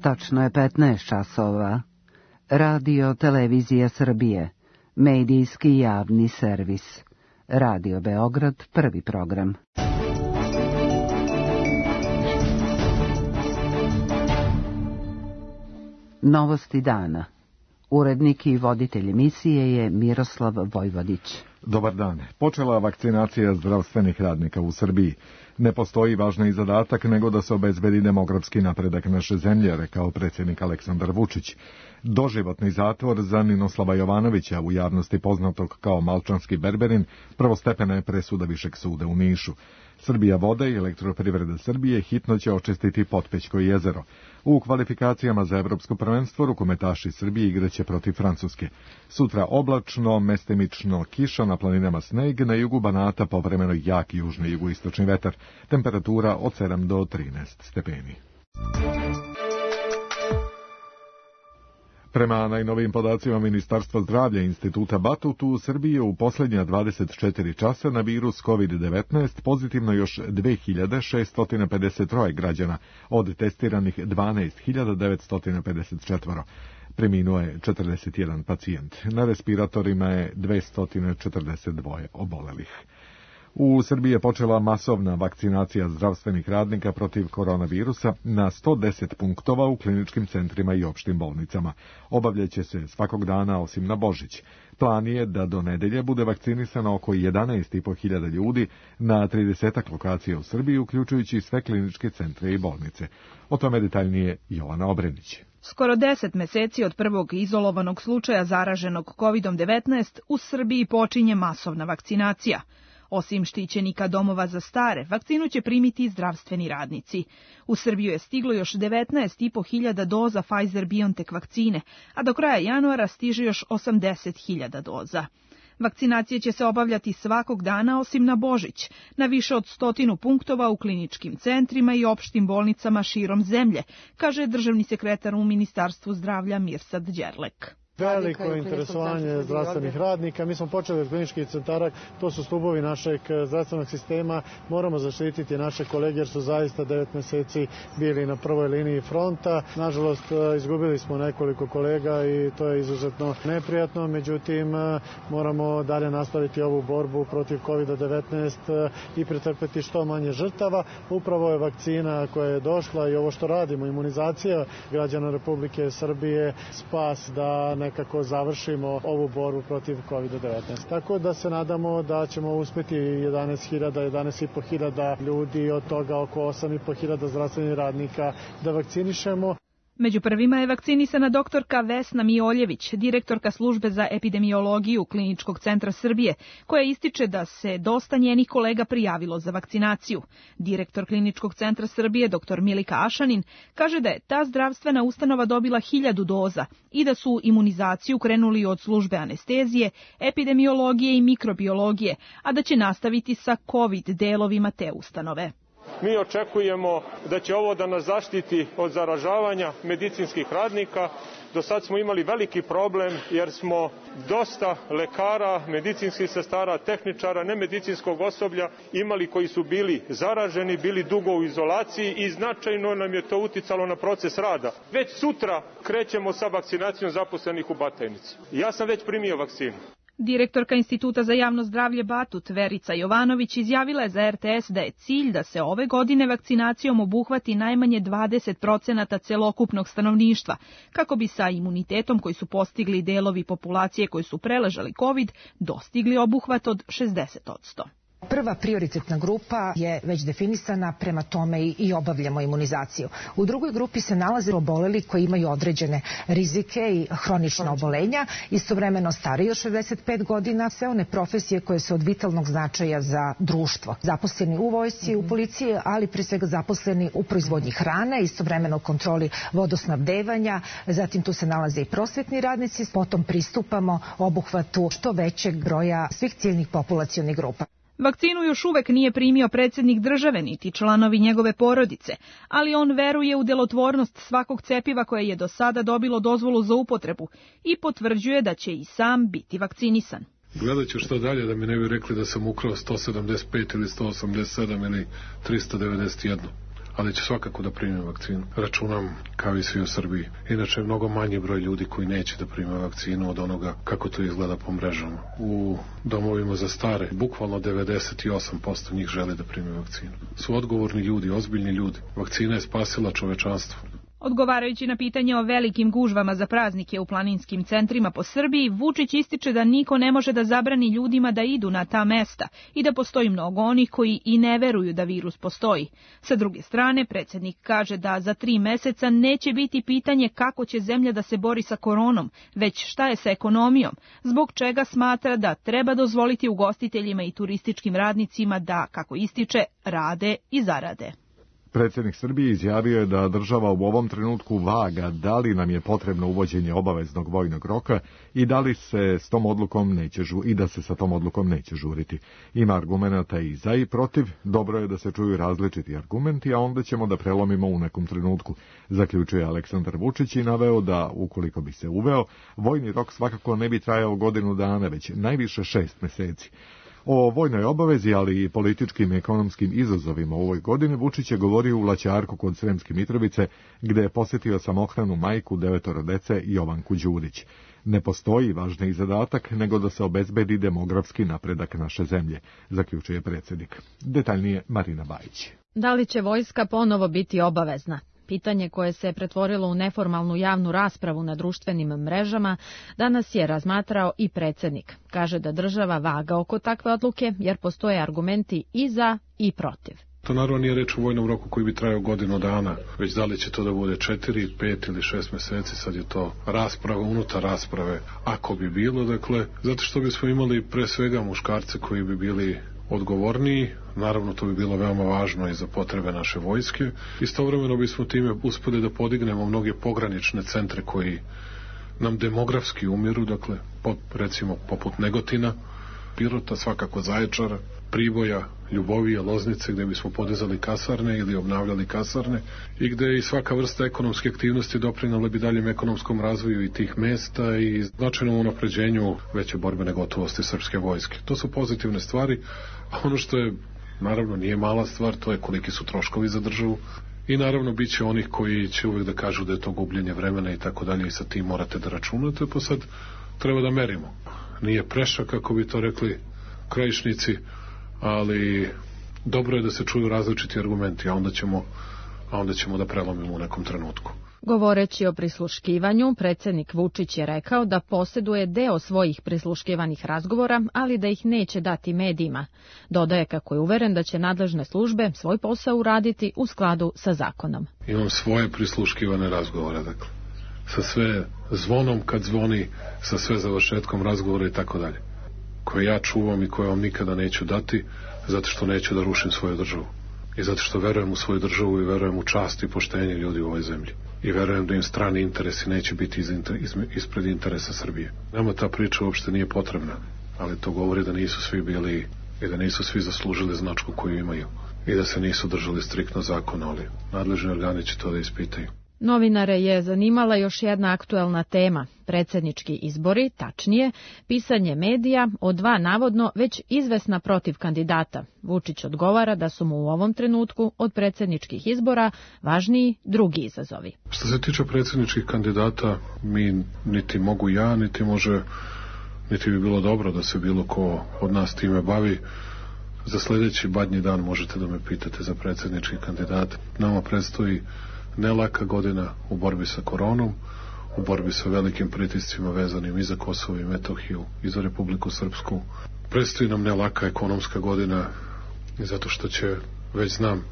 Tačno je 15 časova. Radio Televizija Srbije, medijski javni servis. Radio Beograd, prvi program. Novosti dana. Urednik i voditelj emisije je Miroslav Vojvodić. Dobar dan. Počela vakcinacija zdravstvenih radnika u Srbiji. Ne postoji važniji zadatak nego da se obezbedi demografski napredak naše zemlje, rekao predsjednik Aleksandar Vučić. Doživotni zatvor za Ninoslava Jovanovića, u javnosti poznatog kao Malčanski Berberin, prvostepena je presuda Višeg suda u Nišu. Srbija vode i Elektroprivreda Srbije hitno će očistiti Potpećko jezero. U kvalifikacijama za evropsko prvenstvo rukometaši Srbije igraće protiv Francuske. Sutra oblačno, mestimično kiša, na planinama sneg, na jugu Banata povremeno jak južni i jugoistočni vetar. Temperatura od 7 do 13 stepeni. Prema najnovijim podacima Ministarstva zdravlja Instituta Batut, u Srbiji u posljednja 24 časa na virus COVID-19 pozitivno još 2653 građana, od testiranih 12.954. Preminuo je 41 pacijent. Na respiratorima je 242 obolelih. U Srbiji je počela masovna vakcinacija zdravstvenih radnika protiv koronavirusa na 110 punktova u kliničkim centrima i opštim bolnicama. Obavljaće se svakog dana osim na Božić. Plan je da do nedelje bude vakcinisano oko 11.500 ljudi na 30 lokacija u Srbiji, uključujući sve kliničke centre i bolnice. O tome detaljnije Jovana Obrenić. Skoro 10 meseci od prvog izolovanog slučaja zaraženog COVID-19 u Srbiji počinje masovna vakcinacija. Osim štićenika domova za stare, vakcinu će primiti i zdravstveni radnici. U Srbiju je stiglo još 19.500 doza Pfizer-BioNTech vakcine, a do kraja januara stiže još 80.000 doza. Vakcinacija će se obavljati svakog dana osim na Božić, na više od 100 punktova u kliničkim centrima i opštim bolnicama širom zemlje, kaže državni sekretar u Ministarstvu zdravlja Mirsad Đerlek. Veliko interesovanje zdravstvenih radnika. Mi smo počeli od kliničkih centara, to su stubovi našeg zdravstvenog sistema. Moramo zaštititi naše kolege jer su zaista 9 meseci bili na prvoj liniji fronta. Nažalost, izgubili smo nekoliko kolega i to je izuzetno neprijatno. Međutim, moramo dalje nastaviti ovu borbu protiv COVID-19 i pretrpeti što manje žrtava. Upravo je vakcina koja je došla i ovo što radimo, imunizacija građana Republike Srbije, spas da nekako završimo ovu borbu protiv COVID-19. Tako da se nadamo da ćemo uspjeti 11.500 ljudi, od toga oko 8.500 zdravstvenih radnika da vakcinišemo. Među prvima je vakcinisana doktorka Vesna Mijoljević, direktorka službe za epidemiologiju Kliničkog centra Srbije, koja ističe da se dosta njenih kolega prijavilo za vakcinaciju. Direktor Kliničkog centra Srbije, dr. Milika Ašanin, kaže da je ta zdravstvena ustanova dobila 1000 doza i da su u imunizaciju krenuli od službe anestezije, epidemiologije i mikrobiologije, a da će nastaviti sa COVID delovima te ustanove. Mi očekujemo da će ovo da nas zaštiti od zaražavanja medicinskih radnika. Do sad smo imali veliki problem jer smo dosta lekara, medicinskih sestara, tehničara, nemedicinskog osoblja imali koji su bili zaraženi, bili dugo u izolaciji i značajno nam je to uticalo na proces rada. Već sutra krećemo sa vakcinacijom zaposlenih u Batajnici. Ja sam već primio vakcinu. Direktorka Instituta za javno zdravlje Batut, Verica Jovanović, izjavila je za RTS da je cilj da se ove godine vakcinacijom obuhvati najmanje 20% celokupnog stanovništva, kako bi sa imunitetom koji su postigli delovi populacije koji su preležali COVID dostigli obuhvat od 60%. Prva prioritetna grupa je već definisana, prema tome i obavljamo imunizaciju. U drugoj grupi se nalaze oboleli koji imaju određene rizike i hronična obolenja, istovremeno stariji od 65 godina, sve one profesije koje su od vitalnog značaja za društvo. Zaposleni u vojsci, u policiji, ali pre svega zaposleni u proizvodnji hrane, istovremeno u kontroli vodosnabdevanja, zatim tu se nalaze i prosvetni radnici, potom pristupamo obuhvatu što većeg broja svih ciljnih populacionih grupa. Vakcinu još uvek nije primio predsjednik države niti članovi njegove porodice, ali on veruje u delotvornost svakog cepiva koje je do sada dobilo dozvolu za upotrebu i potvrđuje da će i sam biti vakcinisan. Gledat ću što dalje da mi ne bi rekli da sam ukrao 175 ili 187 ili 391. ali ću svakako da primim vakcinu. Računam kao i svi u Srbiji. Inače je mnogo manji broj ljudi koji neće da prime vakcinu od onoga kako to izgleda po mrežama. U domovima za stare, bukvalno 98% njih želi da prime vakcinu. Su odgovorni ljudi, ozbiljni ljudi. Vakcina je spasila čovečanstvo. Odgovarajući na pitanje o velikim gužvama za praznike u planinskim centrima po Srbiji, Vučić ističe da niko ne može da zabrani ljudima da idu na ta mesta i da postoji mnogo onih koji i ne veruju da virus postoji. Sa druge strane, predsjednik kaže da za 3 meseca neće biti pitanje kako će zemlja da se bori sa koronom, već šta je sa ekonomijom, zbog čega smatra da treba dozvoliti ugostiteljima i turističkim radnicima da, kako ističe, rade i zarade. Predsjednik Srbije izjavio je da država u ovom trenutku vaga da li nam je potrebno uvođenje obaveznog vojnog roka i da li se s tom odlukom sa tom odlukom neće žuriti. Ima argumenata i za i protiv, dobro je da se čuju različiti argumenti, a onda ćemo da prelomimo u nekom trenutku, zaključuje Aleksandar Vučić i naveo da, ukoliko bi se uveo, vojni rok svakako ne bi trajao godinu dana, već najviše 6 meseci. O vojnoj obavezi, ali i političkim i ekonomskim izazovima u ovoj godini Vučić je govorio u Laćarku kod Sremske Mitrovice, gde je posjetio samohranu majku 9 dece Jovanku Đurić. Ne postoji važniji zadatak nego da se obezbedi demografski napredak naše zemlje, zaključuje predsjednik. Detaljnije Marina Bajić. Da li će vojska ponovo biti obavezna? Pitanje koje se je pretvorilo u neformalnu javnu raspravu na društvenim mrežama danas je razmatrao i predsjednik. Kaže da država vaga oko takve odluke jer postoje argumenti i za i protiv. To naravno nije reč o vojnom roku koji bi trajao godinu dana, već da li će to da bude 4, 5 ili 6 meseci, sad je to rasprava unutar rasprave, ako bi bilo, dakle, zato što bismo imali pre svega muškarce koji bi bili odgovorniji, naravno to bi bilo veoma važno i za potrebe naše vojske. Istovremeno bismo time uspeli da podignemo mnoge pogranične centre koji nam demografski umiru, dakle, recimo poput Negotina, Pirota, svakako Zaječara, Priboja, Ljubovije, Loznice, gde bismo podizali kasarne ili obnavljali kasarne i gde i svaka vrsta ekonomske aktivnosti doprinala bi daljem ekonomskom razvoju i tih mesta i značajnom unapređenju veće borbene gotovosti srpske vojske. To su pozitivne stvari, a ono što je, naravno, nije mala stvar, to je koliki su troškovi za državu i naravno bit će onih koji će uvijek da kažu da je to gubljenje vremena i tako dalje i sa tim morate da računate, pa sad treba da merimo. Nije prešak, kako bi to rekli krajišnici, ali dobro je da se čuju različiti argumenti, a onda ćemo da prelomimo u nekom trenutku. Govoreći o prisluškivanju, predsjednik Vučić je rekao da posjeduje deo svojih prisluškivanih razgovora, ali da ih neće dati medijima. Dodaje kako je uveren da će nadležne službe svoj posao uraditi u skladu sa zakonom. Imam svoje prisluškivane razgovore, dakle, sa sve zvonom kad zvoni, sa sve završetkom razgovora i tako dalje, koje ja čuvam i koje vam nikada neću dati, zato što neću da rušim svoju državu. I zato što verujem u svoju državu i verujem u čast i poštenje ljudi u ovoj zemlji. I verujem da im strani interesi neće biti ispred interesa Srbije. Nama ta priča uopšte nije potrebna, ali to govori da nisu svi bili i da nisu svi zaslužili značku koju imaju i da se nisu držali striktno zakona, ali nadležni organi će to da ispitaju. Novinare je zanimala još jedna aktuelna tema, predsjednički izbori, tačnije, pisanje medija o 2 navodno već izvesna protiv kandidata. Vučić odgovara da su mu u ovom trenutku od predsjedničkih izbora važniji drugi izazovi. Što se tiče predsjedničkih kandidata, mi niti mogu ja, niti bi bilo dobro da se bilo ko od nas time bavi. Za sljedeći badnji dan možete da me pitate za predsjednički kandidat. Nama predstoji nelaka godina u borbi sa koronom, u borbi sa velikim pritiscima vezanim i za Kosovo i Metohiju i za Republiku Srpsku. Predstoji nam nelaka ekonomska godina i zato što će, već znam,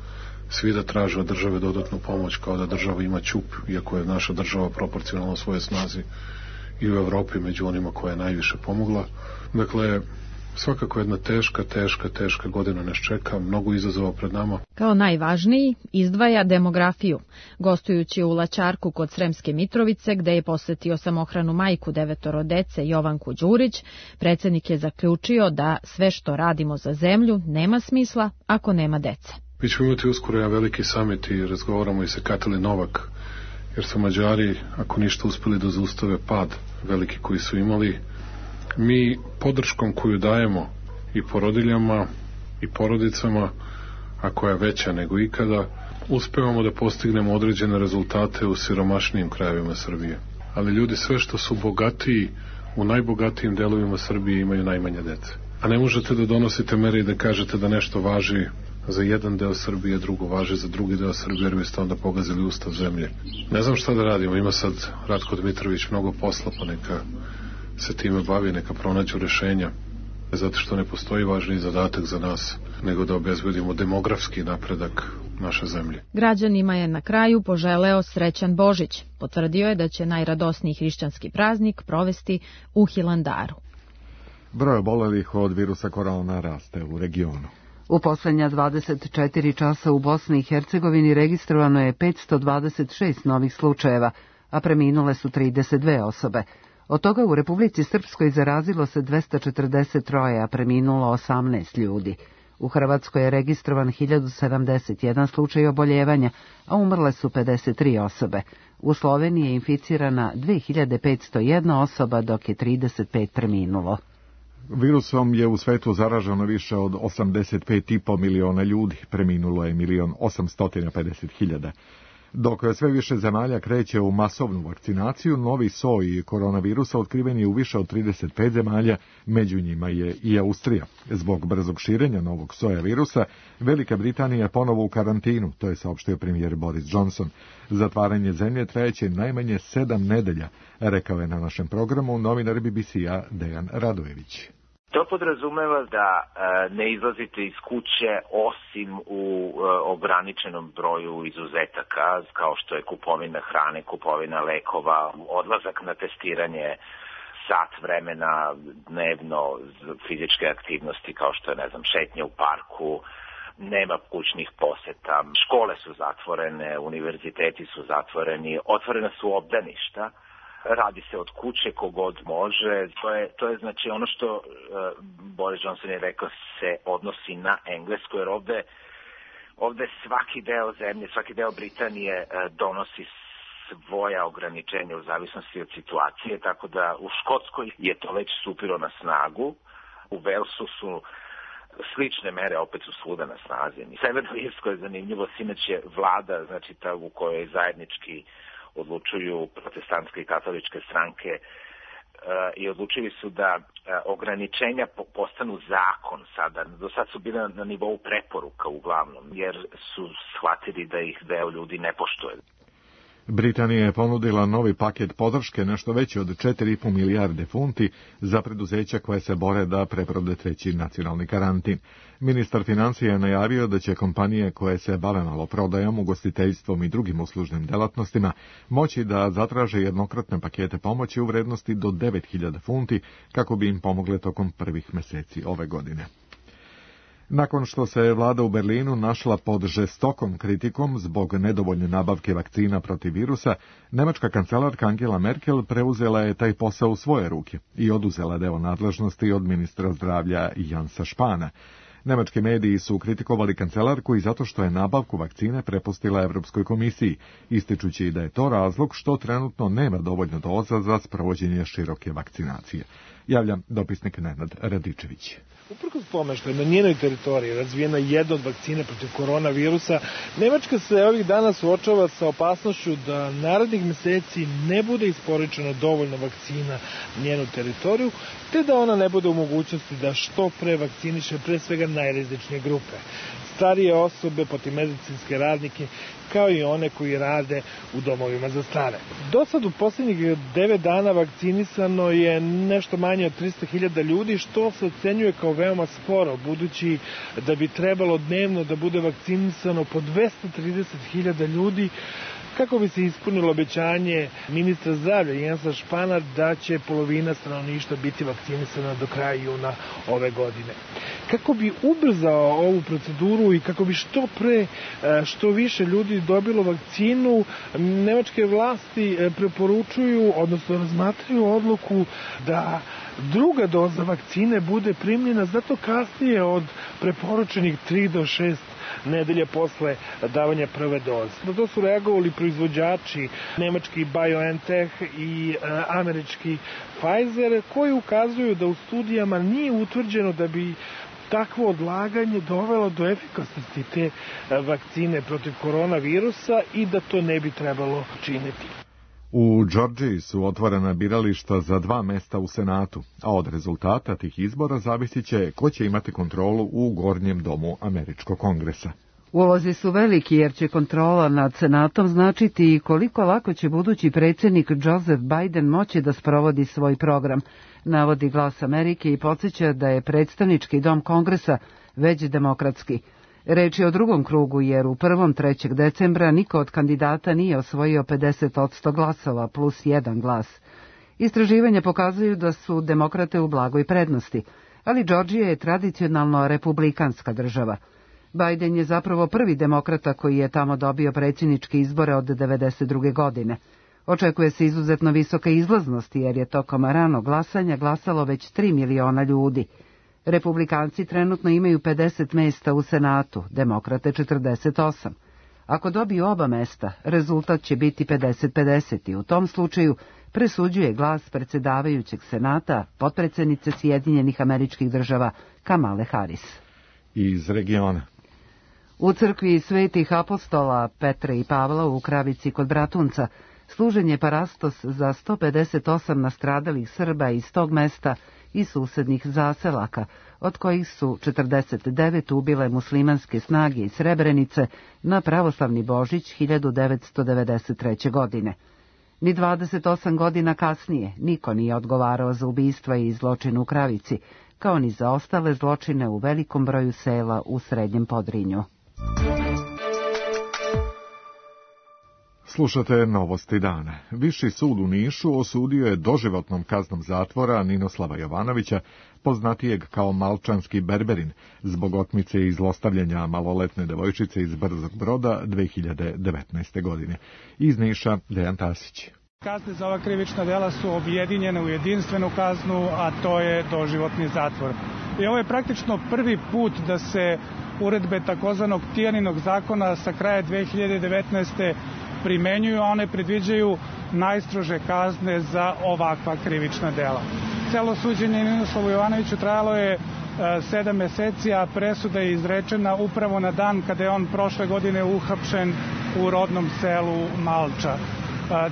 svi da traže od države dodatnu pomoć, kao da država ima ćup, iako je naša država proporcionalno svoje snazi i u Evropi među onima koja je najviše pomogla. Dakle, svakako jedna teška godina nas čeka, mnogo izazova pred nama. Kao najvažniji izdvaja demografiju. Gostujući u Laćarku kod Sremske Mitrovice, gde je posjetio samohranu majku 9 dece Jovanku Đurić, predsjednik je zaključio da sve što radimo za zemlju nema smisla ako nema dece. Mi ćemo imati uskoro jedan veliki samit i razgovaramo i sa Katalin Novak, jer su Mađari, ako ništa, uspeli da zaustave pad veliki koji su imali. Mi podrškom koju dajemo i porodiljama i porodicama, a koja je veća nego ikada, uspevamo da postignemo određene rezultate u siromašnijim krajevima Srbije. Ali ljudi sve što su bogatiji u najbogatijim delovima Srbije imaju najmanje dece. A ne možete da donosite mere i da kažete da nešto važi za jedan deo Srbije, drugo važi za drugi deo Srbije, jer biste onda pogazili ustav zemlje. Ne znam šta da radimo, ima sad Ratko Dmitrović mnogo posla, pa neka se time bavi, neka pronađu rešenja, zato što ne postoji važniji zadatak za nas nego da obezbedimo demografski napredak naše zemlje. Građanima je na kraju poželeo srećan Božić. Potvrdio je da će najradosniji hrišćanski praznik provesti u Hilandaru. Broj obolelih od virusa korona raste u regionu. U posljednja 24 časa u Bosni i Hercegovini registrovano je 526 novih slučajeva, a preminule su 32 osobe. Od toga u Republici Srpskoj zarazilo se 243, a preminulo 18 ljudi. U Hrvatskoj je registrovan 1071 slučaj oboljevanja, a umrle su 53 osobe. U Sloveniji je inficirana 2501 osoba, dok je 35 preminulo. Virusom je u svetu zaraženo više od 85,5 miliona ljudi, preminulo je 1.850.000. Dok sve više zemalja kreće u masovnu vakcinaciju, novi soj koronavirusa otkriven je u više od 35 zemalja, među njima je i Austrija. Zbog brzog širenja novog soja virusa, Velika Britanija je ponovo u karantinu, to je saopštio premijer Boris Johnson. Zatvaranje zemlje trajeće najmanje 7 nedelja, rekao je na našem programu novinar BBC-a Dejan Radojević. To podrazumeva da ne izlazite iz kuće osim u ograničenom broju izuzetaka, kao što je kupovina hrane, kupovina lekova, odlazak na testiranje, sat vremena dnevno fizičke aktivnosti kao što je, šetnja u parku, nema kućnih poseta, škole su zatvorene, univerziteti su zatvoreni, otvorena su obdaništa. Radi se od kuće kogod može. To je znači ono što Boris Johnson je rekao se odnosi na Englesku, jer ovde svaki deo zemlje, svaki deo Britanije donosi svoja ograničenja u zavisnosti od situacije, tako da u Škotskoj je to već stupilo na snagu, u Walesu su slične mere opet su svuda na snazi. Severno Irskoj je zanimljivo, sinoć je vlada, znači ta u kojoj zajednički odlučuju protestantske i katoličke stranke i odlučili su da ograničenja postanu zakon sada. Do sad su bile na nivou preporuka uglavnom, jer su shvatili da ih deo ljudi ne poštuje. Britanija je ponudila novi paket podrške nešto veći od 4,5 milijarde funti za preduzeća koje se bore da prebrode treći nacionalni karantin. Ministar financija je najavio da će kompanije koje se bave maloprodajom, ugostiteljstvom i drugim uslužnim delatnostima moći da zatraže jednokratne pakete pomoći u vrednosti do 9.000 funti kako bi im pomogle tokom prvih meseci ove godine. Nakon što se vlada u Berlinu našla pod žestokom kritikom zbog nedovoljne nabavke vakcina protiv virusa, nemačka kancelarka Angela Merkel preuzela je taj posao u svoje ruke i oduzela deo nadležnosti od ministra zdravlja Jansa Spahna. Nemački mediji su kritikovali kancelarku i zato što je nabavku vakcine prepustila Evropskoj komisiji, ističući da je to razlog što trenutno nema dovoljno doza za sprovođenje široke vakcinacije. Javlja dopisnik Nenad Radičević. Uprkos tome što je na njenoj teritoriji razvijena jedna od vakcine protiv koronavirusa, Nemačka se ovih dana suočava sa opasnošću da narednih meseci ne bude isporučeno dovoljno vakcina na njenu teritoriju, te da ona ne bude u mogućnosti da što pre vakciniše pre svega najrizičnije grupe. Starije osobe, potom medicinske radnike, kao i one koji rade u domovima za stare. Do sad u posljednjih 9 dana vakcinisano je nešto manje od 300.000 ljudi, što se ocenjuje kao veoma sporo, budući da bi trebalo dnevno da bude vakcinisano po 230.000 ljudi, kako bi se ispunilo obećanje ministra zdravlja Jansa Spahna da će polovina stanovništva biti vakcinisana do kraja juna ove godine. Kako bi ubrzao ovu proceduru i kako bi što pre, što više ljudi dobilo vakcinu, nemačke vlasti preporučuju, odnosno razmatraju odluku da druga doza vakcine bude primljena zato kasnije od preporučenih 3 do 6 nedelje posle davanja prve doze. Na to su reagovali proizvođači nemački BioNTech i američki Pfizer, koji ukazuju da u studijama nije utvrđeno da bi takvo odlaganje dovelo do efikasnosti te vakcine protiv koronavirusa i da to ne bi trebalo činiti. U Džordžiji su otvorena birališta za 2 mesta u Senatu, a od rezultata tih izbora zavisit će ko će imati kontrolu u gornjem domu Američkog kongresa. Ulozi su veliki jer će kontrola nad Senatom značiti i koliko lako će budući predsjednik Joseph Biden moći da sprovodi svoj program, navodi Glas Amerike i podsjeća da je predstavnički dom Kongresa već demokratski. Reč je o drugom krugu jer u prvom 3. decembra niko od kandidata nije osvojio 50% glasova plus 1 glas. Istraživanja pokazuju da su demokrate u blagoj prednosti, ali Džordžija je tradicionalno republikanska država. Biden je zapravo prvi demokrata koji je tamo dobio predsjedničke izbore od 1992. godine. Očekuje se izuzetno visoka izlaznost jer je tokom ranog glasanja glasalo već 3 miliona ljudi. Republikanci trenutno imaju 50 mesta u Senatu, demokrate 48. Ako dobiju oba mesta, rezultat će biti 50-50 i u tom slučaju presuđuje glas predsjedavajućeg Senata, potpredsjednice Sjedinjenih Američkih Država Kamale Harris. Iz regiona. U crkvi Svetih apostola Petra i Pavla u Kravici kod Bratunca služen je parastos za 158 nastradalih Srba iz tog mesta i susednih zaselaka, od kojih su 49 ubile muslimanske snage iz Srebrenice na pravoslavni Božić 1993. godine. Ni 28 godina kasnije niko nije odgovarao za ubistva i zločin u Kravici, kao ni za ostale zločine u velikom broju sela u Srednjem Podrinju. Slušate Novosti dana. Viši sud u Nišu osudio je doživotnom kaznom zatvora Ninoslava Jovanovića, poznatijeg kao Malčanski berberin, zbog otmice i zlostavljanja maloletne devojčice iz Brzog Broda 2019. godine. Iz Niša, Dejan Tasić. Kazne za ova krivična dela su objedinjene u jedinstvenu kaznu, a to je doživotni zatvor. I ovo je praktično prvi put da se uredbe takozvanog Tijaninog zakona sa kraja 2019. primenjuju, a one predviđaju najstrože kazne za ovakva krivična dela. Celo suđenje Ninoslavu Jovanoviću trajalo je 7 meseci, a presuda je izrečena upravo na dan kada je on prošle godine uhapšen u rodnom selu Malča.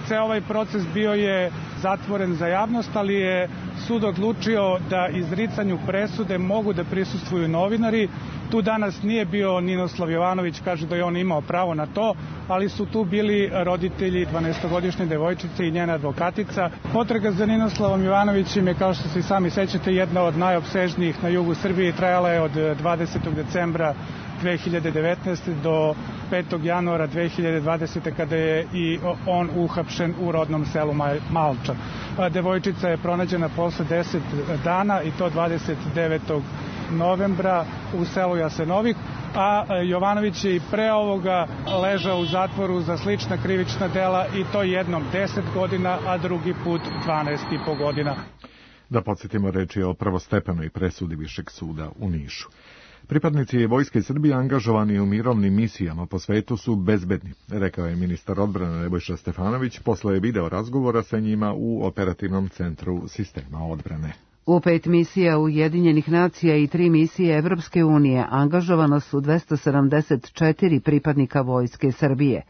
Ceo ovaj proces bio je zatvoren za javnost, ali je sud odlučio da izricanju presude mogu da prisustvuju novinari. Tu danas nije bio Ninoslav Jovanović, kaže da je on imao pravo na to, ali su tu bili roditelji 12-godišnje devojčice i njena advokatica. Potraga za Ninoslavom Jovanovićem je, kao što se i sami sećate, jedna od najopsežnijih na jugu Srbije. Trajala je od 20. decembra 2019. do 5. januara 2020. kada je i on uhapšen u rodnom selu Malča. Devojčica je pronađena posle 10 dana i to 29. novembra u selu Jasenovik, a Jovanović je i pre ovoga ležao u zatvoru za slična krivična dela i to jednom 10 godina, a drugi put 12,5 godina. Da podsjetimo, reč je o prvostepenoj presudi Višeg suda u Nišu. Pripadnici Vojske Srbije angažovani u mirovnim misijama po svetu su bezbedni, rekao je ministar odbrane Nebojša Stefanović posle video razgovora sa njima u operativnom centru sistema odbrane. U 5 misija Ujedinjenih nacija i 3 misije Evropske unije angažovano su 274 pripadnika Vojske Srbije.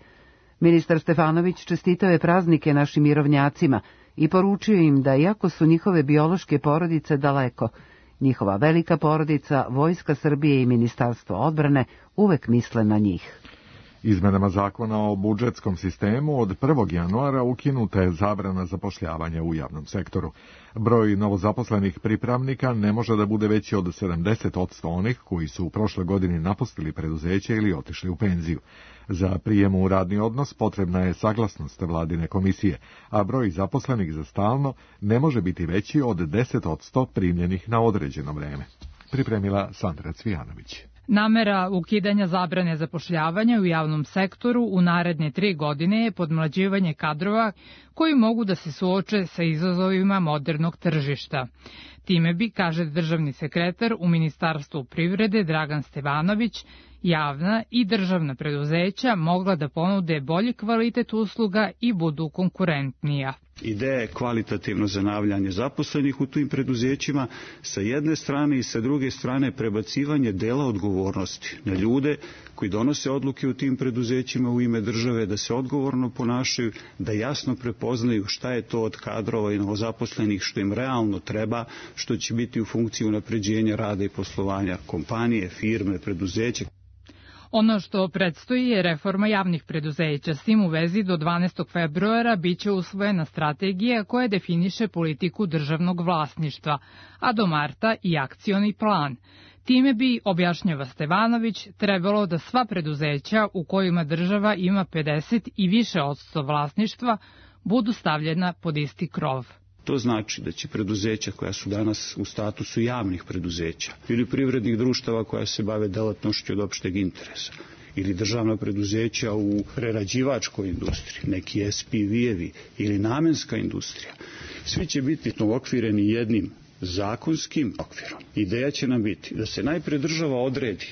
Ministar Stefanović čestitao je praznike našim mirovnjacima i poručio im da iako su njihove biološke porodice daleko, njihova velika porodica, Vojska Srbije i Ministarstvo odbrane uvek misle na njih. Izmenama zakona o budžetskom sistemu od 1. januara ukinuta je zabrana zapošljavanja u javnom sektoru. Broj novozaposlenih pripravnika ne može da bude veći od 70% onih koji su u prošle godini napustili preduzeće ili otišli u penziju. Za prijem u radni odnos potrebna je saglasnost vladine komisije, a broj zaposlenih za stalno ne može biti veći od 10% primljenih na određeno vreme. Pripremila Sandra Cvijanović. Namera ukidanja zabrane zapošljavanja u javnom sektoru u naredne 3 godine je podmlađivanje kadrova koji mogu da se suoče sa izazovima modernog tržišta. Time bi, kaže državni sekretar u Ministarstvu privrede Dragan Stevanović, javna i državna preduzeća mogla da ponude bolji kvalitet usluga i budu konkurentnija. Ideja je kvalitativno zanavljanje zaposlenih u tim preduzećima sa jedne strane i sa druge strane prebacivanje dela odgovornosti na ljude koji donose odluke u tim preduzećima u ime države, da se odgovorno ponašaju, da jasno prepoznaju šta je to od kadrova i novozaposlenih što im realno treba, što će biti u funkciji unapređenja rada i poslovanja kompanije, firme, preduzeća. Ono što predstoji je reforma javnih preduzeća. S tim u vezi do 12. februara biće usvojena strategija koja definiše politiku državnog vlasništva, a do marta i akcioni plan. Time bi, objašnjava Stevanović, trebalo da sva preduzeća u kojima država ima 50 i više odsto vlasništva budu stavljena pod isti krov. To znači da će preduzeća koja su danas u statusu javnih preduzeća ili privrednih društava koja se bave delatnošću od opšteg interesa ili državna preduzeća u prerađivačkoj industriji, neki SPV-evi ili namenska industrija, svi će biti okvireni jednim zakonskim okvirom. Ideja će nam biti da se najpre država odredi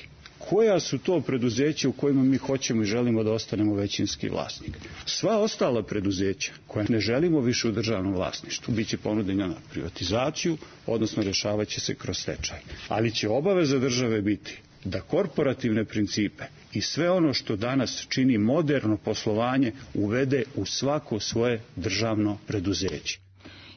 koja su to preduzeća u kojima mi hoćemo i želimo da ostanemo većinski vlasnik. Sva ostala preduzeća koja ne želimo više u državnom vlasništvu biće ponuđena na privatizaciju, odnosno rešavat će se kroz stečaj. Ali će obaveza države biti da korporativne principe i sve ono što danas čini moderno poslovanje uvede u svako svoje državno preduzeće.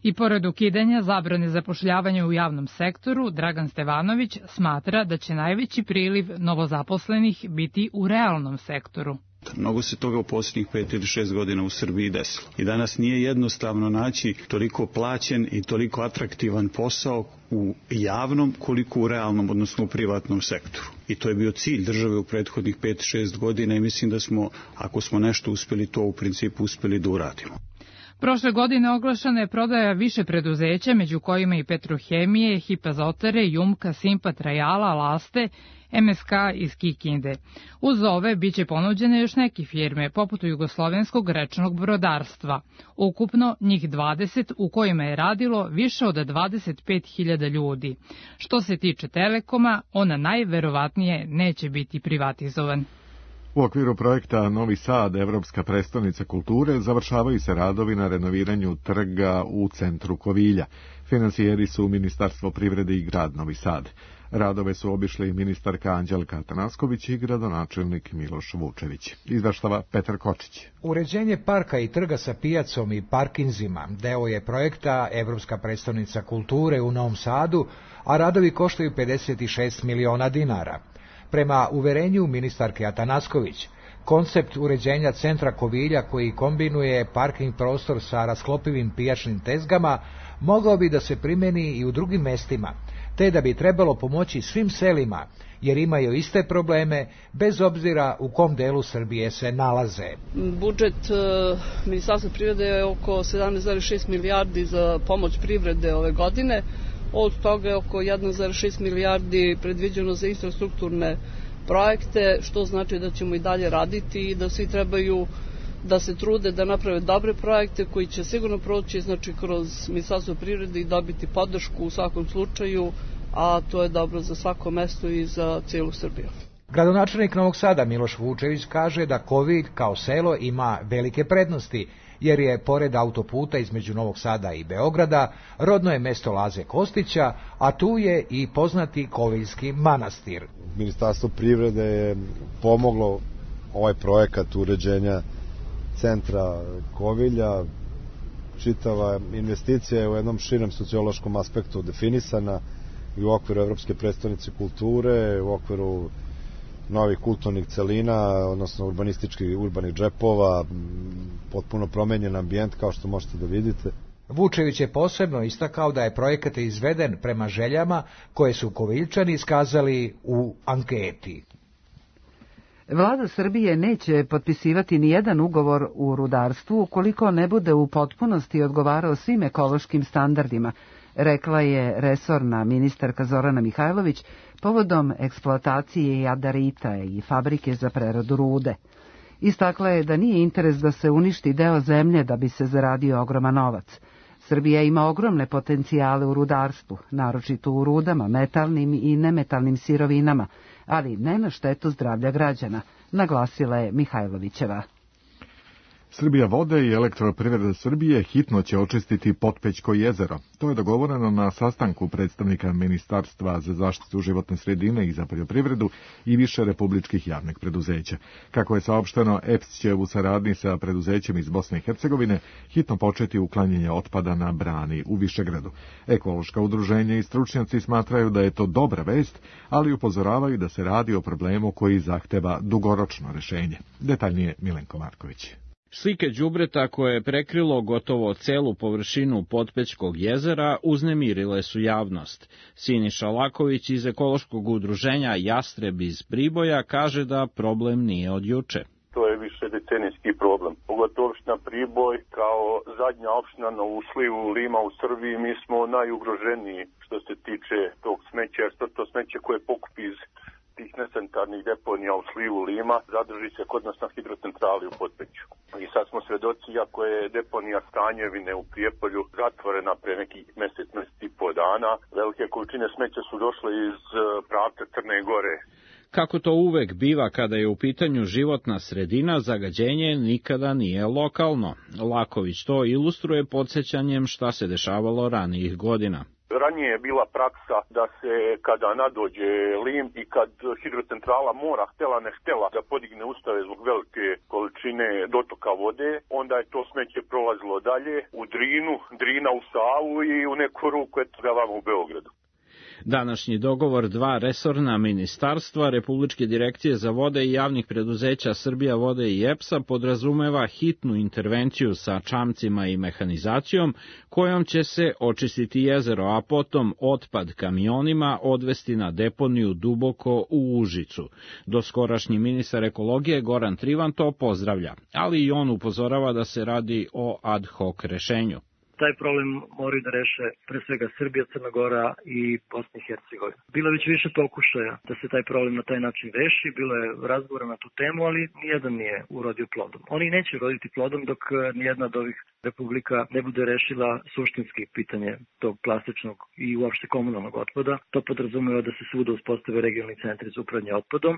I pored ukidanja zabrane zapošljavanja u javnom sektoru, Dragan Stevanović smatra da će najveći priliv novozaposlenih biti u realnom sektoru. Mnogo se toga u posljednjih 5 ili 6 godina u Srbiji desilo. I danas nije jednostavno naći toliko plaćen i toliko atraktivan posao u javnom koliko u realnom, odnosno u privatnom sektoru. I to je bio cilj države u prethodnih 5-6 godina i mislim da smo, ako smo nešto uspjeli, to u principu uspjeli da uradimo. Prošle godine oglašena je prodaja više preduzeća, među kojima i Petrohemije, HIP Azotare, Jumka, Simpa, Trajala, Laste, MSK iz Kikinde. Uz ove biće ponuđene još neke firme, poput jugoslovenskog rečnog brodarstva. Ukupno njih 20 u kojima je radilo više od 25.000 ljudi. Što se tiče Telekoma, ona najverovatnije neće biti privatizovan. U okviru projekta Novi Sad, Evropska prestonica kulture, završavaju se radovi na renoviranju trga u centru Kovilja. Finansijeri su Ministarstvo privrede i grad Novi Sad. Radove su obišli i ministarka Anđelka Atanasković i gradonačelnik Miloš Vučević. Izveštava Petar Kočić. Uređenje parka i trga sa pijacom i parkinzima deo je projekta Evropska prestonica kulture u Novom Sadu, a radovi koštaju 56 miliona dinara. Prema uverenju ministarke Atanasković, koncept uređenja centra Kovilja koji kombinuje parking prostor sa rasklopivim pijačnim tezgama mogao bi da se primeni i u drugim mestima, te da bi trebalo pomoći svim selima, jer imaju iste probleme bez obzira u kom delu Srbije se nalaze. Budžet Ministarstva privrede je oko 17,6 milijardi za pomoć privrede ove godine. Od toga je oko 1,6 milijardi predviđeno za infrastrukturne projekte, što znači da ćemo i dalje raditi i da svi trebaju da se trude da naprave dobre projekte koji će sigurno proći kroz Ministarstvo privrede i dobiti podršku u svakom slučaju, a to je dobro za svako mesto i za cijelu Srbiju. Gradonačelnik Novog Sada Miloš Vučević kaže da Kovilj kao selo ima velike prednosti, jer je pored autoputa između Novog Sada i Beograda, rodno je mesto Laze Kostića, a tu je i poznati Koviljski manastir. Ministarstvo privrede je pomoglo ovaj projekat uređenja centra Kovilja. Čitava investicija je u jednom širem sociološkom aspektu definisana i u okviru Evropske prestonice kulture, u okviru novih kulturnih celina, odnosno urbanih džepova, potpuno promenjen ambijent kao što možete da vidite. Vučević je posebno istakao da je projekat izveden prema željama koje su Koviljčani iskazali u anketi. Vlada Srbije neće potpisivati ni jedan ugovor u rudarstvu ukoliko ne bude u potpunosti odgovarao svim ekološkim standardima, rekla je resorna ministarka Zorana Mihajlović povodom eksploatacije jadarita i fabrike za preradu rude. Istakla je da nije interes da se uništi deo zemlje da bi se zaradio ogroman novac. Srbija ima ogromne potencijale u rudarstvu, naročito u rudama, metalnim i nemetalnim sirovinama, ali ne na štetu zdravlja građana, naglasila je Mihajlovićeva. Srbija vode i Elektroprivreda Srbije hitno će očistiti Potpećko jezero. To je dogovoreno na sastanku predstavnika Ministarstva za zaštitu životne sredine i za poljoprivredu i više republičkih javnih preduzeća. Kako je saopšteno, EPS će u saradnji sa preduzećem iz Bosne i Hercegovine hitno početi uklanjanje otpada na brani u Višegradu. Ekološka udruženja i stručnjaci smatraju da je to dobra vest, ali upozoravaju da se radi o problemu koji zahteva dugoročno rešenje. Detaljnije Milenko Marković. Slike đubreta koje je prekrilo gotovo celu površinu Potpećkog jezera uznemirile su javnost. Siniša Laković iz ekološkog udruženja Jastreb iz Priboja kaže da problem nije od juče. To je više decenijski problem. Pogotovo opština Priboj kao zadnja opština na uslivu Lima u Srbiji, mi smo najugroženiji što se tiče tog smeća, jer to smeće koje pokupi iz tih nesanitarnih deponija u slivu Lima zadrži se kod nas na hidrocentrali u Potpeću. I sad smo svedoci, iako je deponija Stanjevine u Prijepolju zatvorena pre nekih mesec i po dana, velike količine smeća su došle iz pravca Crne Gore. Kako to uvek biva kada je u pitanju životna sredina, zagađenje nikada nije lokalno. Laković to ilustruje podsjećanjem šta se dešavalo ranijih godina. Ranije je bila praksa da se kada nadođe lim i kad hidrocentrala mora, htela ne htela, da podigne ustave zbog velike količine dotoka vode, onda je to smeće prolazilo dalje u Drinu, Drina u Savu i u neku ruku eto ga vamo u Beogradu. Današnji dogovor dva resorna ministarstva, Republičke direkcije za vode i javnih preduzeća Srbija vode i EPS-a podrazumeva hitnu intervenciju sa čamcima i mehanizacijom kojom će se očistiti jezero, a potom otpad kamionima odvesti na deponiju duboko u Užicu. Doskorašnji ministar ekologije Goran Trivan to pozdravlja, ali i on upozorava da se radi o ad hoc rešenju. Taj problem moraju da reše pre svega Srbija, Crna Gora i Bosna i Hercegovina. Bilo je već više pokušaja da se taj problem na taj način reši, bilo je razgovora na tu temu, ali nijedan nije urodio plodom. Oni neće uroditi plodom dok nijedna od ovih republika ne bude rešila suštinski pitanje tog plastičnog i uopšte komunalnog otpada. To podrazumeva da se svuda uspostave regionalni centri za upravljanje otpadom.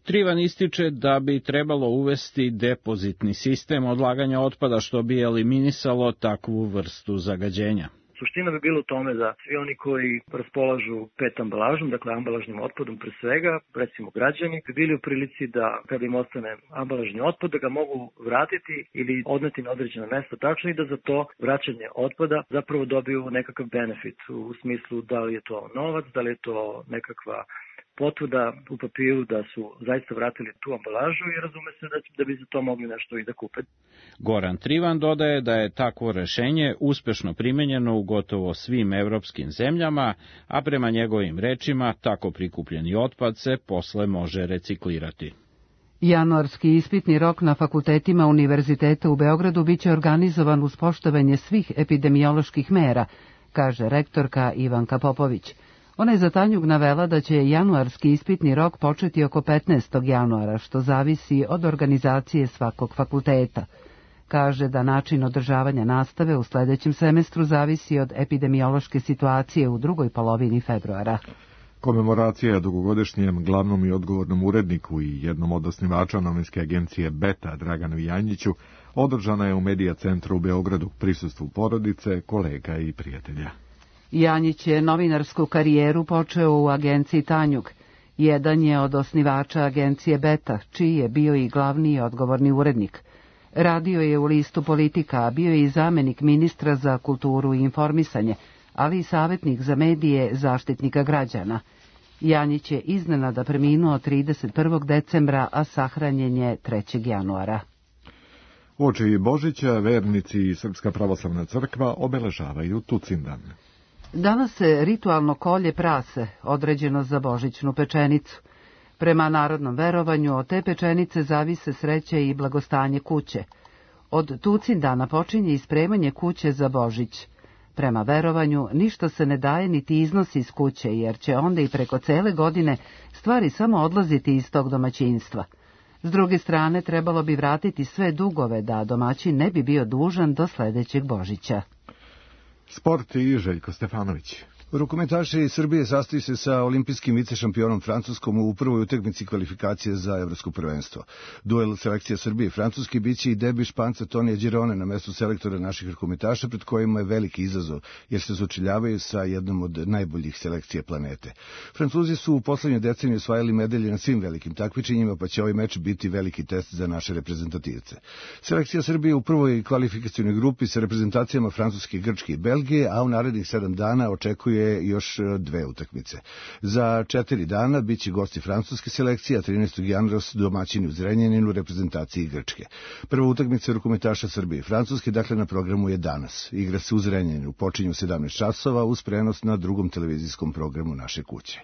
Trivan ističe da bi trebalo uvesti depozitni sistem odlaganja otpada što bi eliminisalo takvu vrstu zagađenja. Suština bi bila u tome da svi oni koji raspolažu PET ambalažom, dakle ambalažnim otpadom pre svega, recimo građani, bi bili u prilici da kada im ostane ambalažni otpad, da ga mogu vratiti ili odneti na određeno mesto tačno i da za to vraćanje otpada zapravo dobiju nekakav benefit u smislu da li je to novac, da li je to nekakva potvrda u papiru da su zaista vratili tu ambalažu i razume se da bi za to mogli nešto i da kupe. Goran Trivan dodaje da je takvo rešenje uspešno primenjeno u gotovo svim evropskim zemljama, a prema njegovim rečima tako prikupljeni otpad se posle može reciklirati. Januarski ispitni rok na fakultetima Univerziteta u Beogradu biće organizovan uz poštovanje svih epidemioloških mera, kaže rektorka Ivanka Popović. Ona je za Tanjug navela da će januarski ispitni rok početi oko 15. januara, što zavisi od organizacije svakog fakulteta. Kaže da način održavanja nastave u sledećem semestru zavisi od epidemiološke situacije u drugoj polovini februara. Komemoracija dugogodišnjem glavnom i odgovornom uredniku i jednom od osnivača novinske agencije Beta, Draganu Janjiću, održana je u Medija centru u Beogradu, prisustvu porodice, kolega i prijatelja. Janjić je novinarsku karijeru počeo u agenciji Tanjug. Jedan je od osnivača agencije Beta, čiji je bio i glavni i odgovorni urednik. Radio je u listu Politika, a bio je i zamenik ministra za kulturu i informisanje, ali i savjetnik za medije Zaštitnika građana. Janjić je iznenada preminuo 31. decembra, a sahranjen je 3. januara. Uoči Božića vernici i Srpska pravoslavna crkva obeležavaju Tucindan. Danas se ritualno kolje prase, određeno za božićnu pečenicu. Prema narodnom verovanju od te pečenice zavise sreće i blagostanje kuće. Od Tucindana počinje i spremanje kuće za Božić. Prema verovanju ništa se ne daje niti iznosi iz kuće, jer će onda i preko cele godine stvari samo odlaziti iz tog domaćinstva. S druge strane, trebalo bi vratiti sve dugove da domaćin ne bi bio dužan do sledećeg Božića. Sport i Željko Stefanović. Rukometaši Srbije sastaju se sa olimpijskim vicešampionom Francuskom u prvoj utakmici kvalifikacije za evropsko prvenstvo. Duel selekcija Srbije i Francuske biće i debi Španca Tonija Girone na mestu selektora naših rukometaša, pred kojima je veliki izazov, jer se sučeljavaju sa jednom od najboljih selekcija planete. Francuzi su u poslednjoj deceniji osvajali medalje na svim velikim takmičenjima, pa će ovaj meč biti veliki test za naše reprezentativce. Selekcija Srbije u prvoj kvalifikacionoj grupi sa reprezentacijama Francuske, Grčke i Belgije, a u narednih 7 dana očekuje još 2 utakmice. Za 4 dana biće gosti francuske selekcije, a 13. januara domaćini u Zrenjaninu reprezentaciji Grčke. Prva utakmica rukometaša Srbije i Francuske, dakle, na programu je danas. Igra se u Zrenjaninu, počinje u 17 časova uz prenos na drugom televizijskom programu naše kuće.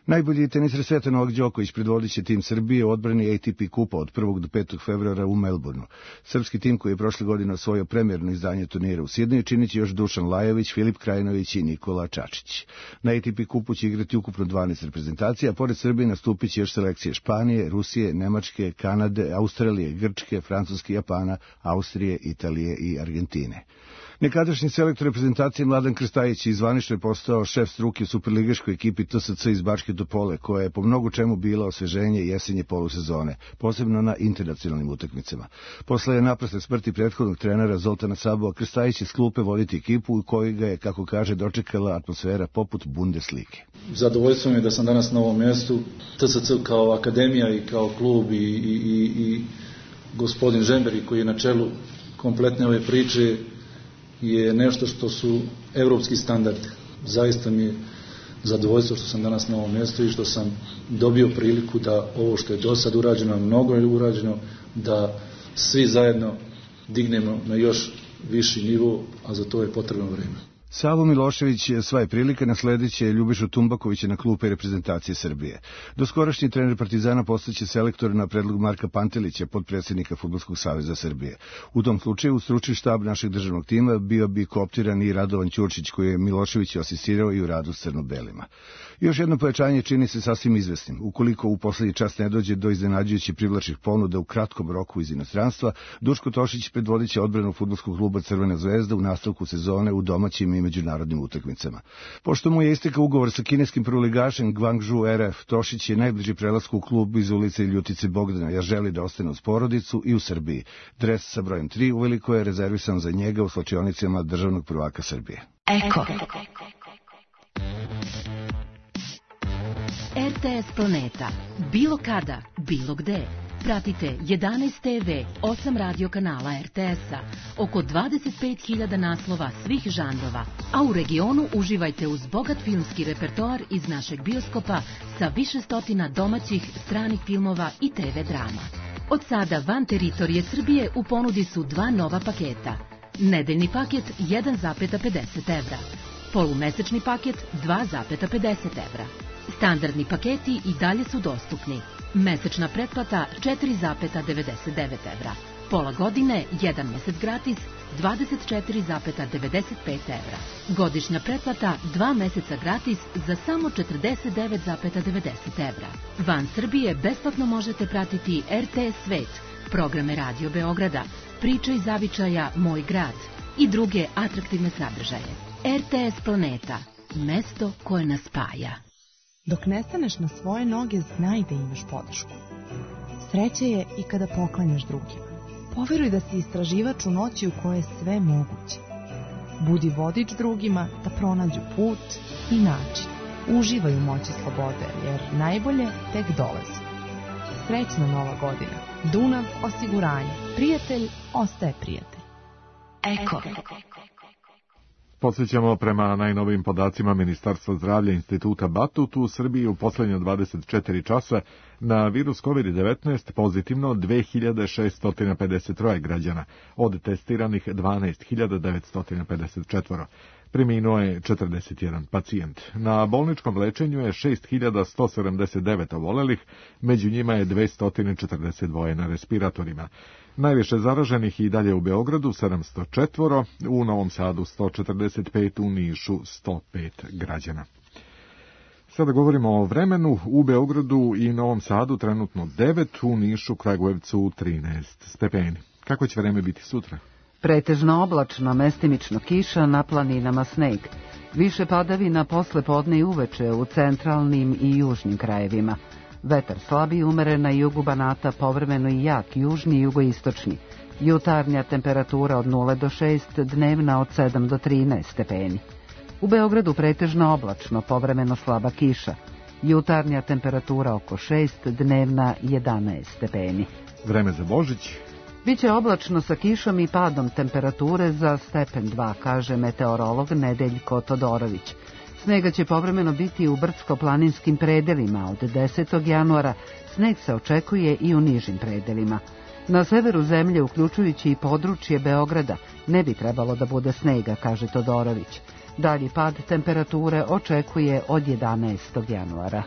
Najbolji tenisar sveta Novak Đoković predvodit će tim Srbije u odbrani ATP kupa od 1. do 5. februara u Melbourneu. Srpski tim koji je prošle godine osvojio premijerno izdanje turnira u Sidneju činit će još Dušan Lajović, Filip Krajinović i Nikola Čačić. Na ATP kupu će igrati ukupno 12 reprezentacija, a pored Srbije nastupit će još selekcije Španije, Rusije, Nemačke, Kanade, Australije, Grčke, Francuske, Japana, Austrije, Italije i Argentine. Nekadašnji selektor reprezentacije Mladen Krstajić zvanično je postao šef struke u superligaškoj ekipi TSC iz Bačke Topole, koja je po mnogo čemu bila osveženje jesenje polusezone, posebno na internacionalnim utakmicama. Posle naprasne smrti prethodnog trenera Zoltana Sabova, Krstajić je s klupe voditi ekipu u kojoj ga je, kako kaže, dočekala atmosfera poput Bundeslige. Zadovoljstvo mi je da sam danas na ovom mjestu. TSC kao akademija i kao klub i gospodin Žemberi koji je na čelu kompletne ove priče je nešto što su evropski standardi. Zaista mi je zadovoljstvo što sam danas na ovom mjestu i što sam dobio priliku da ovo što je do sad urađeno, mnogo je urađeno, da svi zajedno dignemo na još viši nivo, a za to je potrebno vrijeme. Savo Milošević sva je prilika nasledit će Ljubišu Tumbakovića na klupe reprezentacije Srbije. Doskorašnji trener Partizana postaće selektor na predlog Marka Pantelića, podpredsjednika Fudbalskog saveza Srbije. U tom slučaju stručni štab našeg državnog tima bio bi kooptiran i Radovan Ćurčić, koji je Milošević asistirao i u radu s crno-belima. Još jedno pojačanje čini se sasvim izvesnim. Ukoliko u poslednji čas ne dođe do iznenađujućih privlačnih ponuda u kratkom roku iz inostranstva, Duško Tošić predvodit će odbranu fudbalskog kluba Crvena zvezda u nastavku sezone u domaćim i međunarodnim utakmicama. Pošto mu je istekao ugovor sa kineskim prvoligašem Guangzhou RF, Tošić je najbliži prelasku u klub iz ulice Ljutice Bogdana, jer želi da ostane uz porodicu i u Srbiji. Dres sa brojem 3 uveliko je rezervisan za njega u slačionicama državnog prvaka Srbije. Eko. RTS Planeta. Bilo kada, bilo gde. Pratite 11 TV, 8 radio kanala RTS-a, oko 25.000 naslova svih žanrova, a u regionu uživajte uz bogat filmski repertoar iz našeg bioskopa sa više stotina domaćih, stranih filmova i TV drama. Od sada van teritorije Srbije u ponudi su 2 nova paketa. Nedeljni paket 1,50 evra, polumesečni paket 2,50 evra. Standardni paketi i dalje su dostupni. Mesečna pretplata 4,99 evra. Pola godine, 1 mesec gratis, 24,95 evra. Godišnja pretplata 2 meseca gratis za samo 49,90 evra. Van Srbije besplatno možete pratiti RTS Svet, programe Radio Beograda, Priče iz zavičaja Moj grad i druge atraktivne sadržaje. RTS Planeta, mesto koje nas spaja. Dok ne staneš na svoje noge, znaj da imaš podršku. Sreća je i kada poklanjaš drugima. Poveruj da si istraživač u noći u kojoj je sve moguće. Budi vodič drugima da pronađu put i način. Uživaj u moći slobode, jer najbolje tek dolazi. Srećna Nova godina. Dunav osiguranje. Prijatelj ostaje prijatelj. Eko. Podsjećamo, prema najnovijim podacima Ministarstva zdravlja Instituta Batut, u Srbiji u poslednje 24 časa na virus COVID-19 pozitivno 2653 građana, od testiranih 12.954. Preminuo je 41 pacijent. Na bolničkom lečenju je 6179 obolelih, među njima je 242 na respiratorima. Najviše zaraženih i dalje u Beogradu 704, u Novom Sadu 145, u Nišu 105 građana. Sada govorimo o vremenu. U Beogradu i Novom Sadu trenutno 9, u Nišu, Kragujevcu 13 stepeni. Kako će vreme biti sutra? Pretežno oblačno, mestimično kiša, na planinama sneg. Više padavina posle podne i uveče u centralnim i južnim krajevima. Vetar slab i umeren na jugu Banata, povremeno i jak južni i jugoistočni. Jutarnja temperatura od 0 do 6, dnevna od 7 do 13 stepeni. U Beogradu pretežno oblačno, povremeno slaba kiša. Jutarnja temperatura oko 6, dnevna 11 stepeni. Vreme za Božić. Biće oblačno sa kišom i padom temperature za stepen 2, kaže meteorolog Nedeljko Todorović. Snega će povremeno biti u brdsko-planinskim predelima. Od 10. januara sneg se očekuje i u nižim predelima. Na severu zemlje, uključujući i područje Beograda, ne bi trebalo da bude snega, kaže Todorović. Dalji pad temperature očekuje od 11. januara.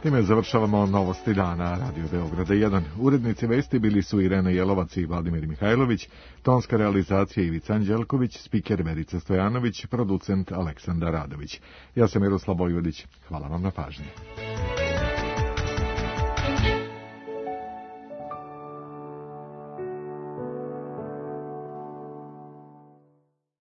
Time završavamo novosti dana Radio Beograda 1. Urednici vesti bili su Irena Jelovac i Vladimir Mihajlović, tonska realizacija Ivica Anđelković, spiker Verica Stojanović, producent Aleksandar Radović. Ja sam Miroslav Vojvodić. Hvala vam na pažnji.